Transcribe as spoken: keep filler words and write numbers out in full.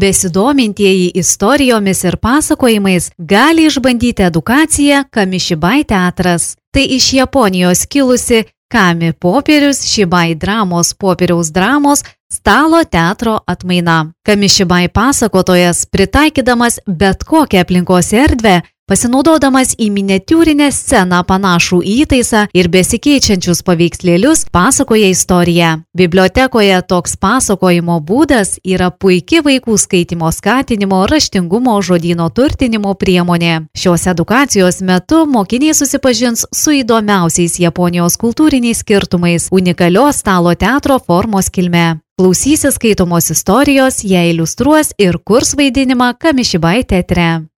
Besidomintieji istorijomis ir pasakojimais gali išbandyti edukaciją Kamishibai teatras. Tai iš Japonijos kilusi Kami popierius Shibai dramos popieriaus dramos stalo teatro atmaina. Kamishibai pasakotojas, pritaikydamas bet kokią aplinkos erdvę, pasinaudodamas į miniatiūrinę sceną panašų įtaisą ir besikeičiančius paveikslėlius, pasakoja istoriją. Bibliotekoje toks pasakojimo būdas yra puiki vaikų skaitimo skatinimo, raštingumo, žodyno turtinimo priemonė. Šios edukacijos metu mokiniai susipažins su įdomiausiais Japonijos kultūriniais skirtumais, unikalios stalo teatro formos kilme. Klausysis skaitomos istorijos, ją iliustruos ir kurs vaidinimą Kamishibai teatre.